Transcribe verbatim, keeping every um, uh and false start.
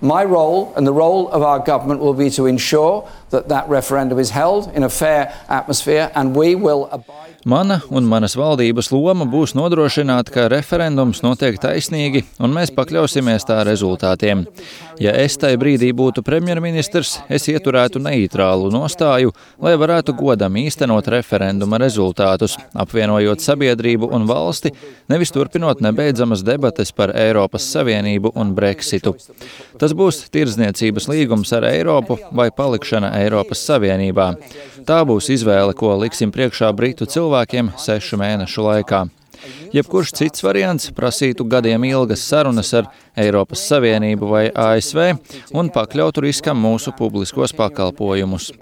My role and the role of our government will be to ensure that that referendum is held in a fair atmosphere and we will abide. Mana un manas valdības loma būs nodrošināt, ka referendums notiek taisnīgi un mēs pakļausimies tā rezultātiem. Ja es tai brīdī būtu premjerministrs, es ieturētu neitrālu nostāju, lai varētu godam īstenot referenduma rezultātus, apvienojot sabiedrību un valsti, nevis turpinot nebeidzamas debates par Eiropas Savienību un Brexitu. Tas būs tirdzniecības līgums ar Eiropu vai palikšana Eiropas Savienībā. Tā būs izvēle, ko liksim priekšā britu cilvēkiem sešu mēnešu laikā. Jebkurš cits variants prasītu gadiem ilgas sarunas ar Eiropas Savienību vai A S V un pakļautu riskam mūsu publiskos pakalpojumus.